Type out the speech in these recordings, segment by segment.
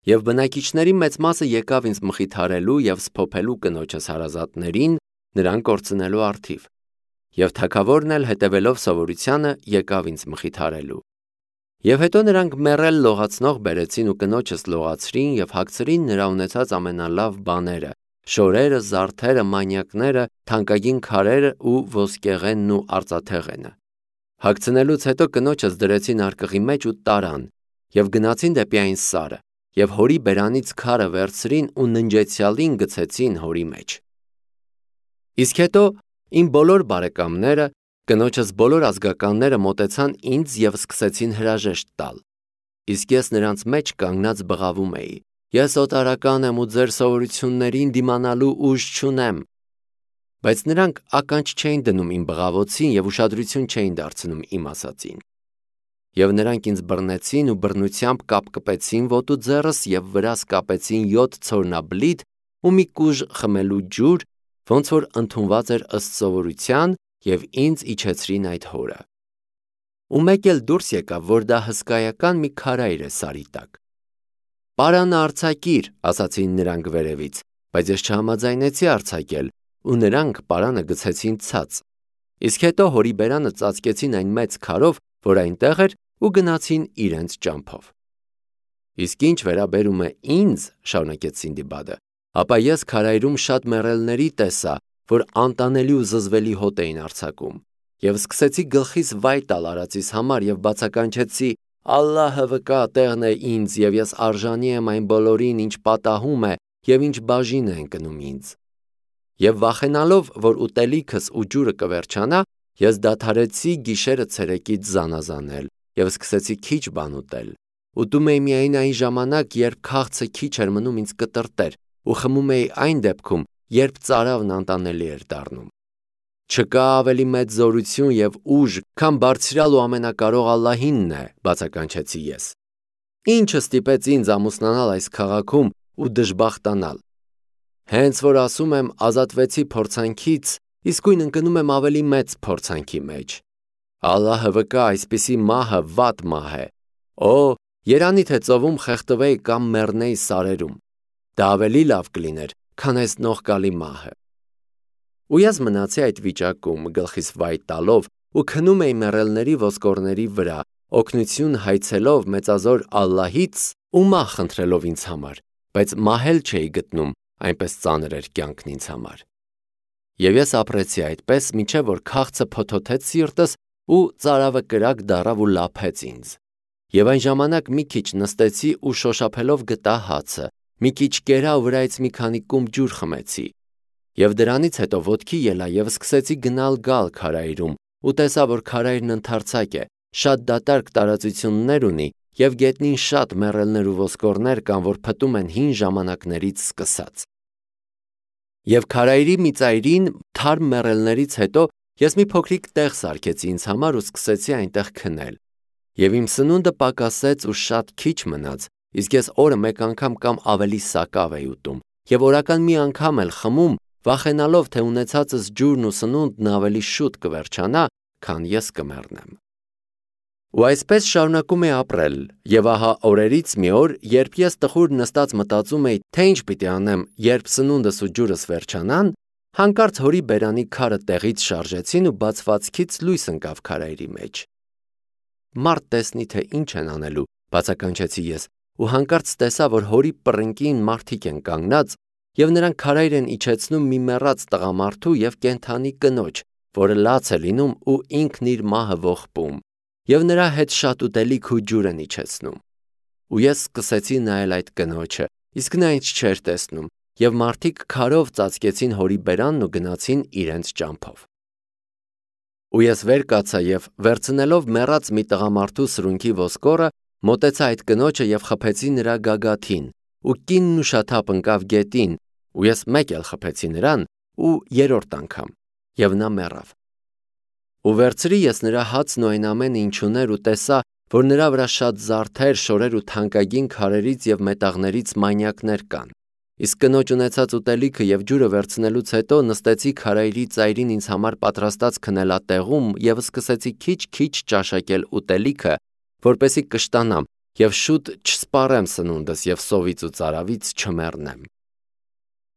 Եվ բնակիչների մեծ մասը եկավ ինձ մխիթարելու և սփոփելու կնոջս հարազատներին, նրան կորցնելու առթիվ։ Եվ թագավորն էլ հետևելով սովորությանը եկավ ինձ մխիթարելու։ Եվ հետո նրանք մեռել լողացնող բերեցին ու կնոջս լողացրին և հագցրին նրա ունեցած ամենալավ բաները, շորերը, զարդերը, մանյակները, թանկագին քարերը ու ոսկեղենն ու արծաթեղենը։ Հագցնելուց հետո կնոջս դրեցին արկղի մեջ ու տարան և գնացին դեպի այն սարը և հորի բերանից քարը վերցրին ու ննջեցյալին գցեցին հորի մեջ։ Իսկ հետո իմ բոլոր բարեկամները, կնոջս բոլոր ազգականները մոտեցան ինձ և սկսեցին հրաժեշտ տալ։ Իսկ ես նրանց մեջ կանգնած բղավում էի. «Ես օտարական եմ ու ձեր սովորություններին դիմանալու ուժ չունեմ»։ Բայց նրանք ականջ չէին դնում իմ բղավոցին և ուշադրություն չէին դարձնում իմ ասածին։ Եվ նրանք ինձ բռնեցին ու բռնությամբ կապկպեցին ոտու ձեռս և վրաս կապեցին 7 ցորնաբլիթ ու մի կուժ խմելու ջուր, ոնց որ ընդունված էր ըստ սովորության, և ինձ իջեցրին այդ հորը։ Ու մեկ էլ դուրս եկավ, որ դա հսկայական մի քարայր է սարի տակ։ «Պարանը արձակիր», ասացին նրանք վերևից, բայց ես չհամաձայնեցի արձակել, ու նրանք պարանը գցեցին ցած։ Իսկ հետո հորի բերանը ծածկեցին այն մեծ քարով, որ այնտեղ էր, ու գնացին իրենց ճամփով։ Իսկ ինչ վերաբերում է ինձ, շարունակեց Սինդբադը, ապա ես քարայրում շատ մեռելների տեսա, որ անտանելի ու զզվելի հոտ էին արձակում, և սկսեցի գլխիս վայ տալ արածիս համար և բացականչեցի. «Ալլահը վկա տեղն է ինձ, և ես արժանի եմ այն բոլորին, ինչ պատահում է և ինչ բաժին է ընկնում ինձ»։ Եվ վախենալով, որ ուտելիքս ու ջուրը կվերջանա, ես դադարեցի գիշերը ցերեկից զանազանել և սկսեցի քիչ բան ուտել։ Ուտում էի միայն այն ժամանակ, երբ քաղցը քիչ էր մնում ինձ կտրտեր, ու խմում էի այն դեպքում, երբ ծարավն անտանելի էր դառնում։ «Չկա ավելի մեծ զորություն և ուժ, քան բարձրյալ ու ամենակարող Ալլահինն է», բացականչեցի ես։ Ի՞նչը ստիպեց ինձ ամուսնանալ այս քաղաքում ու դժբախտանալ։ Հենց որ ասում եմ ազատվեցի փորձանքից, իսկույն ընկնում եմ ավելի մեծ փորձանքի մեջ։ Ալլահը վկա, այսպիսի մահը վատ մահ է։ Օ, երանի թե ծովում խեղդվեի կամ մեռնեի սարերում։ Դա ավելի լավ կլիներ, քան այս նողկալի մահը։ Ու ես մնացի այդ վիճակում, գլխիս վայ տալով ու քնում էի մեռելների ոսկորների վրա, օգնություն հայցելով մեծազոր Ալլահից ու մահ խնդրելով ինձ համար, բայց մահ էլ չէի գտնում, այնպես ծանր էր կյանքն ինձ համար։ Եվ ես ապրեցի այդպես, մինչև որ քաղցը փոթոթեց սիրտս ու ծարավը կրակ դառավ ու լափեց ինձ։ Եվ այն ժամանակ մի քիչ նստեցի ու շոշափելով գտա հացը, մի քիչ կերա ու վրայից մի քանի կում ջուր խմեցի։ Եվ դրանից հետո ոտքի ելա և սկսեցի գնալ-գալ քարայրում ու տեսա, որ քարայրն ընդարձակ է, շատ դատարկ տարածություններ ունի և գետնին շատ մեռելներ ու ոսկորներ կան, որ փտում են հին ժամանակներից սկսած։ Եվ քարայրի մի ծայրին թարմ մեռելներից հետո ես մի փոքրիկ տեղ սարքեցի ինձ համար ու սկսեցի այնտեղ քնել։ Եվ իմ սնունդը պակասեց ու շատ քիչ մնաց, իսկ ես օրը մեկ անգամ կամ ավելի սակավ էի ուտում և օրական մի անգամ էլ խմում, վախենալով, թե ունեցածս ջուրն ու սնունդն ավելի շուտ կվերջանա, քան ես կմեռնեմ։ Ու այսպես շարունակում էի ապրել, և ահա օրերից մի օր, երբ ես տխուր նստած մտածում էի, թե ինչ պիտի անեմ, երբ սնունդս ու ջուրս վերջանան, հանկարծ հորի բերանի քարը տեղից շարժեցին ու բացվածքից լույս ընկավ քարայրի մեջ։ Մարդ տեսնի, թե ինչ են անելու, բացականչեցի ես, ու հանկարծ տեսա, որ հորի պռնկին մարդիկ են կանգնած, և նրանք քարայր են իջեցնում մի մեռած տղամարդու և կենդանի կնոջ, որը լաց է լինում ու ինքն իր մահը ողբում, և նրա հետ շատ ուտելիք ու ջուր են իջեցնում։ Ու ես սկսեցի նայել այդ կնոջը, իսկ նա ինձ չէր տեսնում, և մարդիկ քարով ծածկեցին հորի բերանն ու գնացին իրենց ճամփով։ Ու ես վեր կացա և, վերցնելով մեռած մի տղամարդու սրունքի ոսկորը, մոտեցա այդ կնոջը և խփեցի նրա գագաթին, ու կինն ուշաթափ ընկավ գետին, ու ես մեկ էլ խփեցի նրան, ու երրորդ անգամ, և նա մեռավ։ Ու վերցրի ես նրա հացն ու այն ամենը, ինչ ուներ, ու տեսա, որ նրա վրա շատ զարդեր, շորեր ու թանկագին քարերից և մետաղներից մանյակներ կան։ Իսկ կնոջ ունեցած ուտելիքը և ջուրը վերցնելուց հետո նստեցի քարայրի ծայրին ինձ համար պատրաստած քնելատեղում և սկսեցի քիչ-քիչ ճաշակել ուտելիքը, որպեսզի կշտանամ եւ շուտ չսպառեմ սնունդս եւ սովից ու ծարավից չմեռնեմ։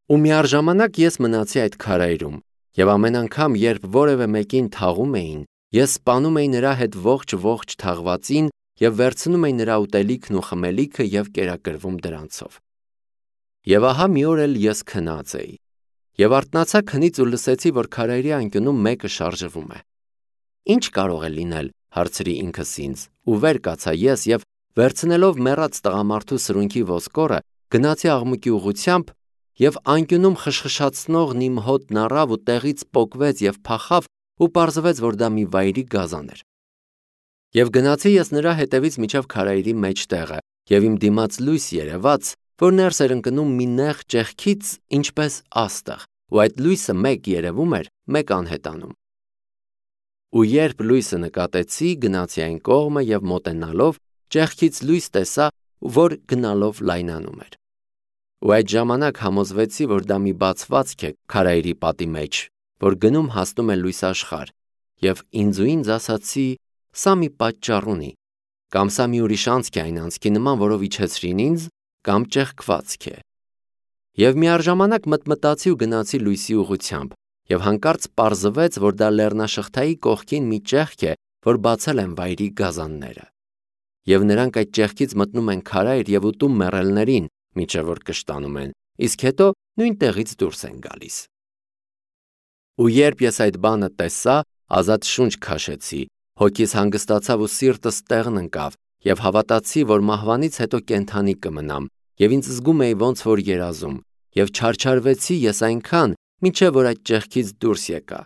Ու միառժամանակ ես մնացի այդ քարայրում, եւ ամեն անգամ, երբ որևէ մեկին թաղում էին, ես սպանում էի նրա հետ ողջ թաղվածին եւ վերցնում էի նրա ուտելիքն ու խմելիքը եւ կերակրվում դրանցով։ Եվ ահա մի օր էլ ես քնած էի, եւ արթնացա քնից ու լսեցի, որ քարայրի անկյունում մեկը շարժվում է։ Ինչ կարող է լինել, հարցրի ինքս ինձ, ու վեր կացա ես եւ վերցնելով մեռած տղամարդու սրունքի ոսկորը, գնացի աղմուկի ուղությամբ եւ անկյունում խշխշացնողն իմ հոտն առավ ու տեղից պոկվեց եւ փախավ ու պարզվեց, որ դա մի վայրի գազան էր։ Եվ գնացի ես նրա հետևից միջև քարայրի մեջտեղը եւ իմ դիմաց լույս երևաց, որ ներս էր ընկնում մի նեղ ճեղքից, ինչպես աստղ, ու այդ լույսը մեկ երևում էր, մեկ անհետանում։ Ու երբ լույսը նկատեցի, գնացի այն կողմը եւ մոտենալով ճեղքից լույս տեսա, որ գնալով լայնանում էր։ Ու այդ ժամանակ համոզվեցի, որ դա մի բացվածք է քարայրի պատի մեջ, որ գնում հասնում է լույսաշխար, եւ ինձ ասացի, սա մի պատճառ ունի, կամ սա մի ուրիշ անցք է այն անցքի նման, որով իջեցրին ինձ, կամ ճեղքվածք է։ Եվ միառժամանակ մտմտացի ու գնացի լույսի ուղությամբ, եւ հանկարծ պարզվեց, որ դա լեռնաշղթայի կողքին մի ճեղք է, որ բացել են վայրի գազանները։ Եվ նրանք այդ ճեղքից մտնում են քարայր եւ ուտում մեռելներին, մինչև որ կշտանում են, իսկ հետո նույն տեղից դուրս են գալիս։ Ու երբ ես այդ բանը տեսա, ազատ շունչ քաշեցի, հոգիս հանգստացավ ու սիրտս տեղն ընկավ, եւ հավատացի, որ մահվանից հետո կենդանի կմնամ, եւ ինձ զգում էի ոնց որ երազում, եւ չարչարվեցի ես այնքան, մինչև որ այդ ճեղքից դուրս եկա,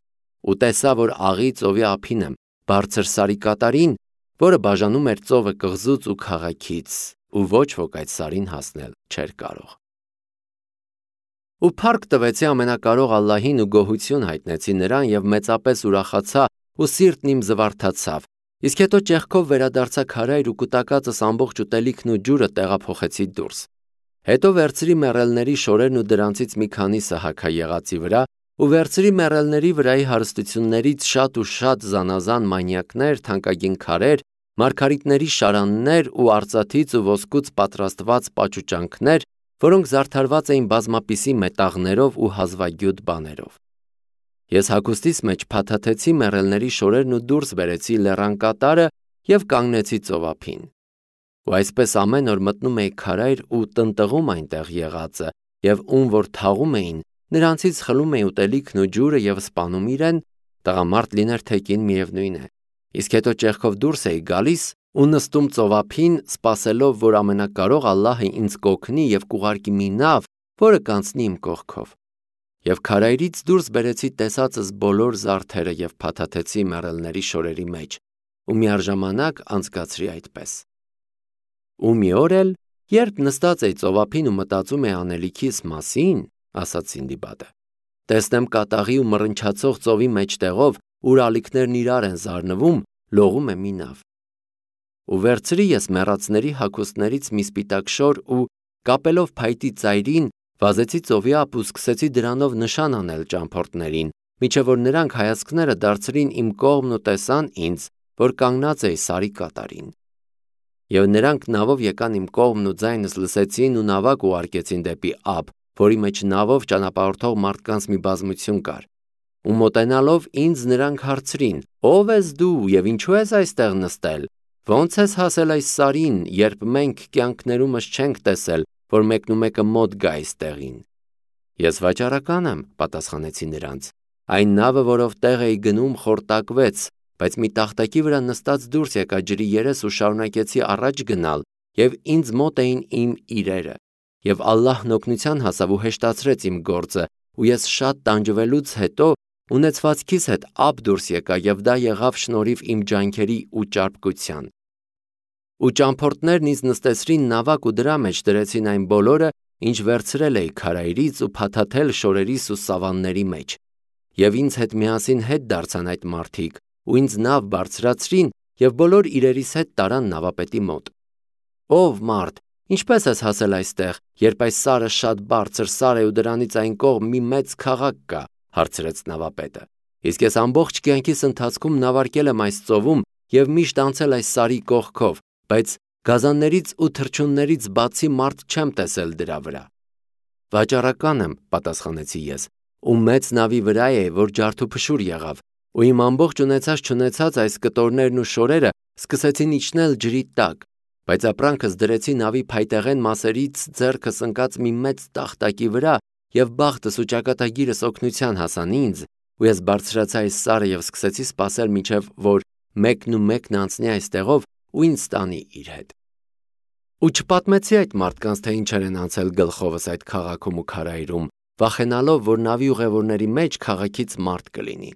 ու տեսա, որ աղի ծովի ափին եմ, բարձր սարի կատարին, որը բաժանում էր ծովը կղզուց ու քաղաքից, ու ոչ ոք այդ սարին հասնել չէր կարող։ Ու փառք տվեցի ամենակարող Ալլահին ու գոհություն հայտնեցի նրան եւ մեծապես ուրախացա ու սիրտն իմ զվարթացավ, իսկ հետո ճեղքով վերադարձա քարայր ու կուտակածս ամբողջ ուտելիքն ու ջուրը տեղափոխեցի դուրս։ Հետո վերցրի մեռելների շորերն ու դրանցից մի քանիսը հագա եղածի վրա ու վերցրի մեռելների վրայի հարստություններից շատ ու շատ զանազան մանյակներ, թանկագին քարեր, մարգարիտների շարաններ ու արծաթից ու ոսկուց պատրաստված պաճուճանքներ, որոնք զարդարված էին բազմապիսի մետաղներով ու հազվագյուտ բաներով։ Ես հագուստիս մեջ փաթաթեցի մեռելների շորերն ու դուրս բերեցի լեռան կատարը եւ կանգնեցի ծովափին։ Ու այսպես ամեն օր մտնում էի քարայր ու տնտղում այնտեղ եղածը, եւ ում որ թաղում էին, նրանցից խլում էի ուտելիքն ու ջուրը եւ սպանում իրեն, տղամարդ լիներ թե կին միևնույն է։ Իսկ հետո ճեղքով դուրս էի գալիս ու նստում ծովափին, սպասելով, որ ամենակարող Ալլահը ինձ կօգնի եւ կուղարկի մի նավ, որը կանցնի իմ կողքով։ Եվ քարայրից դուրս բերեցի տեսածս բոլոր զարդերը եւ փաթաթեցի մեռելների շորերի մեջ, ու միառժամանակ անցկացրի այդպես։ Ու մի օր էլ, երբ նստած էի ծովափին ու մտածում էի անելիքիս մասին, ասաց Սինդիբադը, տեսնեմ կատաղի ու մռնչացող ծովի մեջտեղով, ուր ալիքներն իրար են զարնվում, լողում է մի նավ։ Ու վերցրի ես մեռածների հագուստներից մի սպիտակ շոր ու կապելով փայտի ծայրին, վազեցի ծովի ափ ու սկսեցի դրանով նշան անել ճամփորդներին, մինչև որ նրանք հայացքները դարձրին իմ կողմն ու տեսան ինձ, որ կանգնած էի սարի կատարին։ Եվ նրանք նավով եկան իմ կողմն ու ձայնս լսեցին ու նավակ ուղարկեցին դեպի ափ, որի մեջ նավով ճանապարհորդող մարդկանց մի բազմություն կար։ Ու մոտենալով ինձ նրանք հարցրին. «Ո՞վ ես դու եւ ինչու ես այստեղ նստել։ Ո՞նց ես հասել այս սարին, երբ մենք կյանքներումս չենք տեսել, որ մեկնումեկը մոտ գա այստեղին»։ Ես վաճառական եմ, պատասխանեցի նրանց։ Այն նավը, որով տեղ էի գնում, խորտակվեց, բայց մի տախտակի վրա նստած դուրս եկա ջրի երես ու շարունակեցի առաջ գնալ, եւ ինձ մոտ էին իմ իրերը։ Եվ Ալլահն օգնության հասավ ու հեշտացրեց իմ գործը, ու ես շատ տանջվելուց հետո ունեցվածքիս հետ ափ դուրս եկա, եւ դա եղավ շնորհիվ իմ ջանքերի ու ճարպկության։ Ու ճամփորդներն ինձ նստեցրին նավակ ու դրա մեջ դրեցին այն բոլորը, ինչ վերցրել էի քարայրից ու փաթաթել շորերիս ու սավանների մեջ։ Եվ ինձ հետ միասին հետ դարձան այդ մարդիկ, ու ինձ նավ բարձրացրին եւ բոլոր իրերիս հետ տարան նավապետի մոտ։ Ով մարդ, ինչպես ես հասել այստեղ, երբ այս սարը շատ բարձր սար է ու դրանից այն կողմ մի մեծ քաղաք կա, հարցրեց նավապետը։ Իսկ ես ամբողջ կյանքիս ընթացքում նավարկել եմ այս ծովում եւ միշտ անցել այս սարի կողքով, բայց Գազաններից ու թռչուններից բացի մարդ չեմ տեսել դրա վրա։ Վաճառական եմ, պատասխանեցի ես, ու մեծ նավի վրա է, որ ջարդուփշուր եղավ, ու իմ ամբողջ ունեցած այս կտորներն ու շորերը սկսեցին իջնել ջրի տակ, բայց ապրանքս դրեցի նավի փայտեղեն մասերից ձեռքս ընկած մի մեծ տախտակի վրա, եւ բախտս ու ճակատագիրս օգնության հասան ինձ, ու ես բարձրացա այս սարը եւ սկսեցի սպասել մինչեւ որ մեկն անցնի այստեղով ու ինձ տանի իր հետ։ Ու չպատմեցի այդ մարդկանց, թե ինչեր են անցել գլխովս այդ քաղաքում ու քարայրում, վախենալով, որ նավի ուղևորների մեջ քաղաքից մարդ կլինի։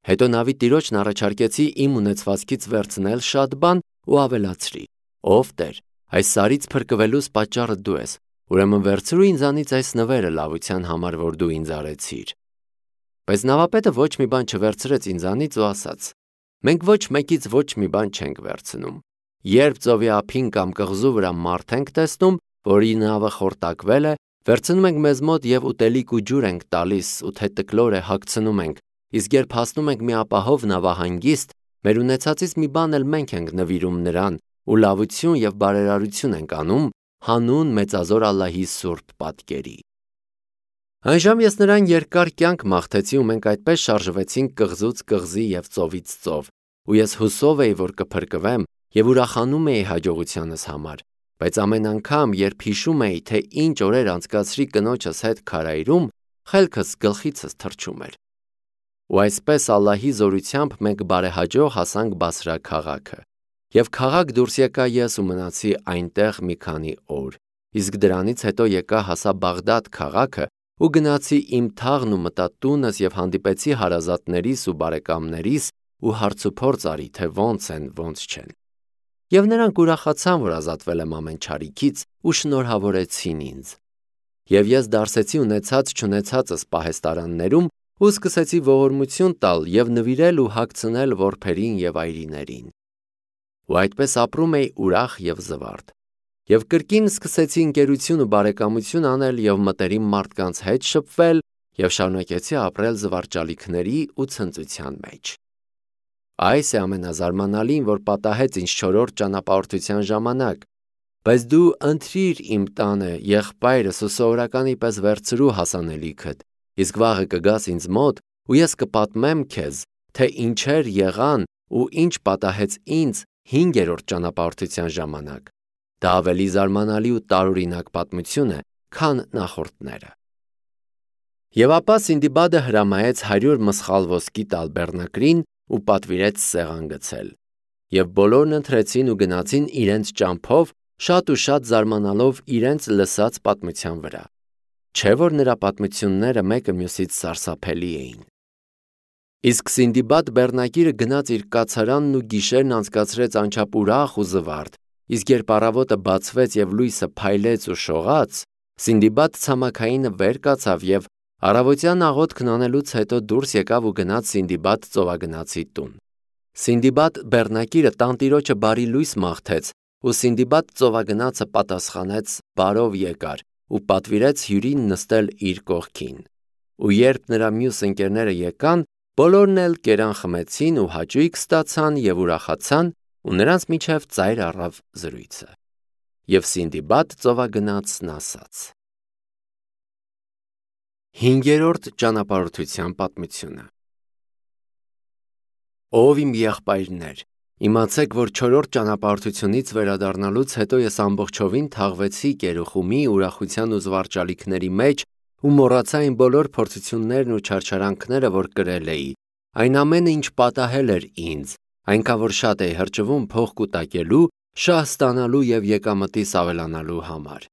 Հետո նավի տիրոջն առաջարկեցի իմ ունեցվածքից վերցնել շատ բան ու ավելացրի. ով Տեր, այս սարից փրկվելուս պատճառը դու ես, ուրեմն վերցրու ինձանից այս նվերը լավության համար, որ դու ինձ արեցիր։ Բայց նավապետը ոչ մի բան չվերցրեց ինձանից ու ասաց. մենք ոչ մեկից ոչ մի բան չենք վերցնում։ Երբ ծովի ափին կամ կղզու վրա մարդ ենք տեսնում, որի նավը խորտակվել է, վերցնում ենք մեզ մոտ եւ ուտելիք ու ջուր ենք տալիս ու թե տկլոր է հագցնում ենք, իսկ երբ հասնում ենք մի ապահով նավահանգիստ, մեր ունեցածից մի բան էլ մենք ենք նվիրում նրան ու լավություն եւ բարերարություն ենք անում հանուն մեծազոր Ալլահի սուրբ պատկերի։ Այնժամ ես նրան երկար կյանք մաղթեցի ու մենք այդպես շարժվեցինք կղզուց կղզի եւ ծովից ծով, ու ես հուսով էի, որ կփրկվեմ եւ ուրախանում էի հաջողությանս համար, բայց ամեն անգամ, երբ հիշում էի, թե ինչ օրեր անցկացրի կնոջս հետ քարայրում, խելքս գլխիցս թռչում էր։ Ու այսպես Ալլահի զորությամբ մենք բարեհաջող հասանք Բասրա քաղաքը։ Եվ քաղաք դուրս եկա ես ու մնացի այնտեղ մի քանի օր, իսկ դրանից հետո եկա հասա Բաղդադ քաղաքը ու գնացի իմ թաղն ու մտա տունս եւ հանդիպեցի հարազատներիս ու բարեկամներիս ու հարցուփորձ արի, թե ոնց են, ոնց չեն։ Եվ նրանք ուրախացան, որ ազատվել եմ ամեն չարիքից ու շնորհավորեցին ինձ։ Եվ ես դարսեցի ունեցած չունեցածս պահեստարաններում ու սկսեցի ողորմություն տալ եւ նվիրել ու հագցնել որբերին եւ այրիներին։ Ու այդպես ապրում էի ուրախ եւ զվարթ։ Եվ կրկին սկսեցի ընկերություն ու բարեկամություն անել եւ մտերիմ մարդկանց հետ շփվել եւ շարունակեցի ապրել զվարճալիքների ու ցնծության մեջ։ Այս է ամենազարմանալին, որ պատահեց ինձ 4-րդ ճանապարհորդության ժամանակ, բայց դու ընտրիր իմ տանը եղբայրս ու սովորականի պես վերցրու հասանելիքդ, իսկ վաղը կգաս ինձ մոտ ու ես կպատմեմ քեզ, թե ինչեր եղան ու ինչ պատահեց ինձ 5-րդ ճանապարհորդության ժամանակ։ Դա ավելի զարմանալի ու տարօրինակ պատմություն է, քան նախորդները։ Եվ ապա Սինդիբադը հրամայեց 100 մսխալ ոսկի տալ բեռնակրին ու պատվիրեց սեղան գցել։ Եվ բոլորն ընթրեցին ու գնացին իրենց ճամփով, շատ ու շատ զարմանալով իրենց լսած պատմության վրա։ Չէ՞ որ նրա պատմությունները մեկը մյուսից սարսափելի էին։ Իսկ Սինդիբադ բեռնակիրը գնաց իր կացարանն ու գիշերն անցկացրեց անչափ ուրախ ու զվարթ, իսկ երբ առավոտը բացվեց եւ լույսը փայլեց ու շողաց, Սինդիբադ ցամաքայինը վեր կացավ եւ առավոտյան աղոթքն անելուց հետո դուրս եկավ ու գնաց Սինդիբադ ծովագնացի տուն։ Սինդիբադ բեռնակիրը տանտիրոջը բարի լույս մաղթեց, ու Սինդիբադ ծովագնացը պատասխանեց բարով եկար ու պատվիրեց հյուրին նստել իր կողքին։ Ու երբ նրա մյուս ընկերները եկան, բոլորն էլ կերան խմեցին ու հաճույք ստացան եւ ուրախացան, ու նրանց միջև ծայր առավ զրույցը։ Եվ Սինդիբադ ծովագնացն ասաց. 5-րդ ճանապարհորդության պատմությունը։ Ով իմ եղբայրներ, իմացեք, որ 4-րդ ճանապարհորդությունից վերադառնալուց հետո ես ամբողջովին թաղվեցի Կերուխումի ուրախության ու զվարճալիքների մեջ ու մոռացա իմ բոլոր փորձություններն ու չարչարանքները, որ կրել էի, այն ամենը, ինչ պատահել էր ինձ, այնքան որ շատ էի հրճվում փող կուտակելու, շահ ստանալու եւ եկամտիս ավելանալու համար։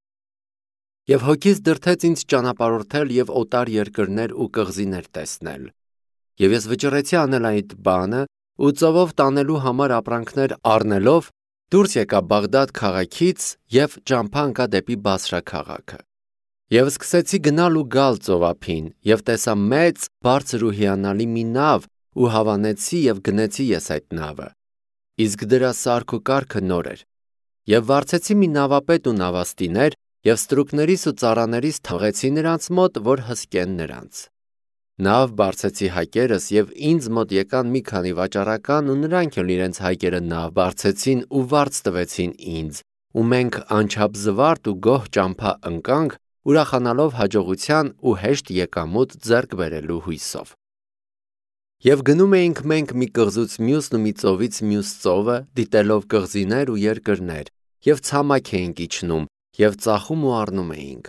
Եվ հոգիս դրդեց ինձ ճանապարհորդել եւ օտար երկրներ ու կղզիներ տեսնել։ Եվ ես վճռեցի անել այդ բանը ու ծովով տանելու համար ապրանքներ առնելով դուրս եկա Բաղդադ քաղաքից եւ ճամփա ընկա դեպի Բասրա քաղաքը։ Եվ սկսեցի գնալ ու գալ ծովափին եւ տեսա մեծ, բարձր ու հիանալի մի նավ ու հավանեցի եւ գնեցի ես այդ նավը։ Իսկ դրա սարք ու կարգը նոր էր։ Եվ վարձեցի մի նավապետ ու նավաստիներ եւ ստրուկներիս ու ծառաներիս թողեցի նրանց մոտ, որ հսկեն նրանց։ Նավ բարձեցի հայկերս եւ ինձ մոտ եկան մի քանի վաճառական ու նրանք էլ իրենց հայկերը նավ բարձեցին ու վարձ տվեցին ինձ ու մենք անչափ զվարթ ու գոհ ճամփա ընկանք ուրախանալով հաջողության ու հեշտ եկամուտ ձեռք բերելու հույսով։ Եվ գնում էինք մենք մի կղզուց մյուսն ու մի ծովից մյուս ծովը դիտելով կղզիներ ու երկրներ եւ ցամաք էինք իջնում եւ ծախում ու առնում էինք։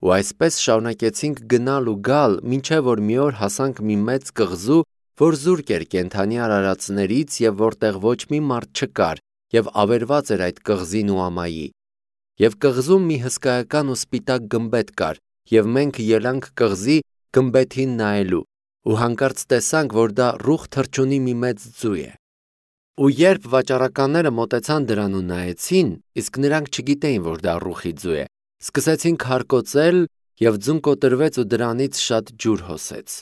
Ու այսպես շարունակեցինք գնալ ու գալ, մինչև որ մի օր հասանք մի մեծ կղզու, որ զուրկ էր կենդանի արարածներից եւ որտեղ ոչ մի մարդ չկար, եւ ավերված էր այդ կղզին ու ամայի։ Եվ կղզում մի հսկայական ու սպիտակ գմբեթ կար, եւ մենք ելանք կղզի գմբեթին նայելու, ու հանկարծ տեսանք, որ դա ռուխ թռչունի մի մեծ ձու է։ Ու երբ վաճառականները մոտեցան դրան ու նայեցին, իսկ նրանք չգիտեին, որ դա ռուխի ձու է, սկսեցին քարկոծել եւ ձուն կոտրվեց ու դրանից շատ ջուր հոսեց։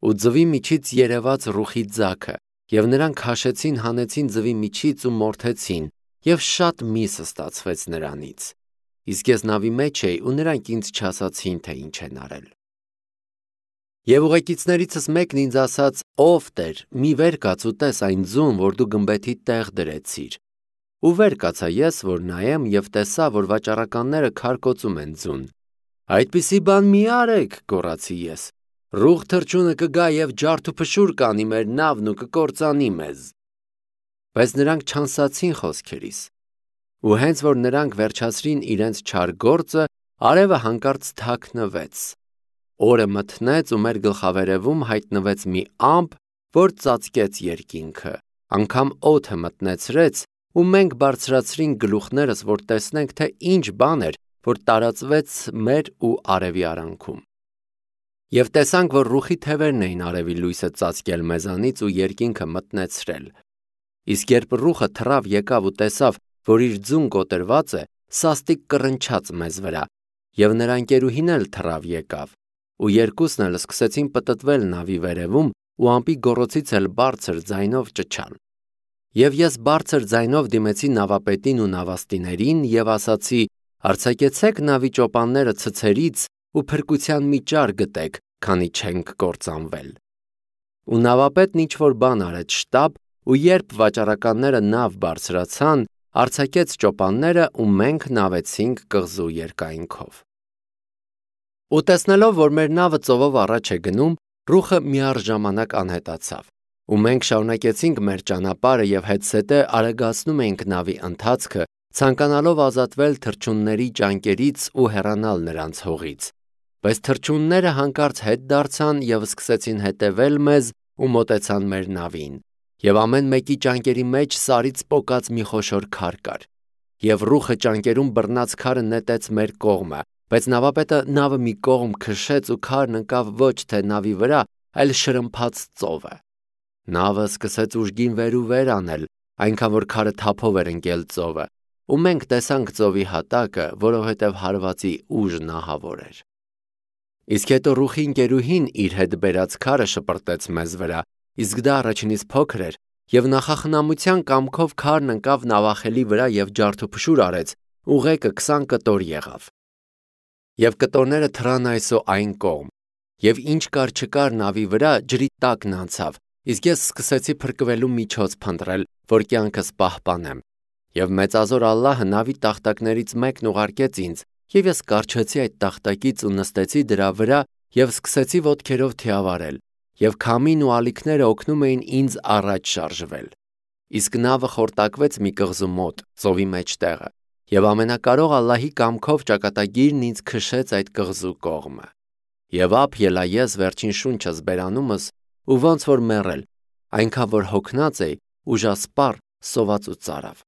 Ու ձվի միջից երևաց ռուխի ձագը, եւ նրանք քաշեցին, հանեցին ձվի միջից ու մորթեցին, եւ շատ միս ստացվեց նրանից։ Իսկ ես նավի մեջ էի ու նրանք ինձ չասացին, թե ինչ են արել։ Եվ ուղեկիցներիցս մեկն ինձ ասաց. «Ով Տեր, մի վեր կաց ու տես այն ձուն, որ դու գմբեթի տեղ դրեցիր»։ Ու վեր կացա ես, որ նայեմ եւ տեսա, որ վաճառականները քարկոծում են ձուն։ «Այդպիսի բան մի արեք», գոռացի ես։ «Ռուխ թռչունը կգա եւ ջարդուփշուր կանի մեր նավն ու կկործանի մեզ»։ Բայց նրանք չանսացին խոսքերիս։ Ու հենց որ նրանք վերջացրին իրենց չար գործը, արևը հանկարծ թաքնվեց։ Օրը մթնեց ու մեր գլխավերևում հայտնվեց մի ամպ, որ ծածկեց երկինքը, անգամ օդը մտնեցրեց ու մենք բարձրացրինք գլուխներս, որ տեսնենք, թե ինչ բան էր, որ տարածվեց մեր ու արևի արանքում։ Եվ տեսանք, որ ռուխի թևերն էին արևի լույսը ծածկել մեզանից ու երկինքը մտնեցրել։ Իսկ երբ ռուխը թռավ եկավ ու տեսավ, որ իր ձուն կոտրված է, սաստիկ կռնչաց մեզ վրա, եւ նրա ընկերուհին էլ թռավ եկավ, ու երկուսն էլ սկսեցին պտտվել նավի վերևում ու ամպի գոռոցից էլ բարձր ձայնով ճչալ։ Եվ ես բարձր ձայնով դիմեցի նավապետին ու նավաստիներին եւ ասացի. «Արձակեցեք նավի ճոպանները ցցերից ու փրկության մի ճար գտեք, քանի չենք կործանվել»։ Ու նավապետն ինչ որ բան արեց շտապ, ու երբ վաճառականները նավ բարձրացան, արձակեց ճոպանները ու մենք նավեցինք կղզու երկայնքով։ Ու տեսնելով, որ մեր նավը ծովով առաջ է գնում, ռուխը միառժամանակ անհետացավ, ու մենք շարունակեցինք մեր ճանապարհը եւ հետսետե արագացնում էինք նավի ընթացքը, ցանկանալով ազատվել թռչունների ճանկերից ու հեռանալ նրանց հողից։ Բայց թռչունները հանկարծ հետ դարձան եւ սկսեցին հետևել մեզ ու մոտեցան մեր նավին, եւ ամեն մեկի ճանկերի մեջ սարից պոկած մի խոշոր քար կար։ Եվ ռուխը ճանկերում բռնած քարը նետեց մեր կողմը, բայց նավապետը նավը մի կողմ քշեց ու քարն ընկավ ոչ թե նավի վրա, այլ շրմփաց ծովը։ Նավը սկսեց ուժգին վեր ու վեր անել, այնքան որ քարը թափով էր ընկել ծովը, ու մենք տեսանք ծովի հատակը, որովհետև հարվածի ուժն ահավոր էր։ Իսկ հետո ռուխի ընկերուհին իր հետ բերած քարը շպրտեց մեզ վրա, իսկ դա առաջինից փոքր էր, եւ նախախնամության կամքով քարն ընկավ նավախելի վրա եւ ջարդուփշուր արեց, ուղեկը 20 կտոր եղավ։ Եվ կտորները թռան այսո այն կողմ, եւ ինչ կար չկար նավի վրա ջրի տակն անցավ, իսկ ես սկսեցի փրկվելու միջոց փնտրել, որ կյանքս պահպանեմ։ Եվ մեծազոր Ալլահը նավի տախտակներից մեկն ուղարկեց ինձ, եւ ես կառչեցի այդ տախտակից ու նստեցի դրա վրա եւ սկսեցի ոտքերով թիավարել, եւ քամին ու ալիքները օգնում էին ինձ առաջ շարժվել։ Իսկ նավը խորտակվեց մի կղզու մոտ, ծովի մեջտեղը, եւ ամենակարող Ալլահի կամքով ճակատագիրն ինձ քշեց այդ կղզու կողմը։ Եվ ափ ելա ես վերջին շունչս բերանումս ու ոնց որ մեռել, այնքան որ հոգնած էի, ուժասպառ, սոված ու ծարավ։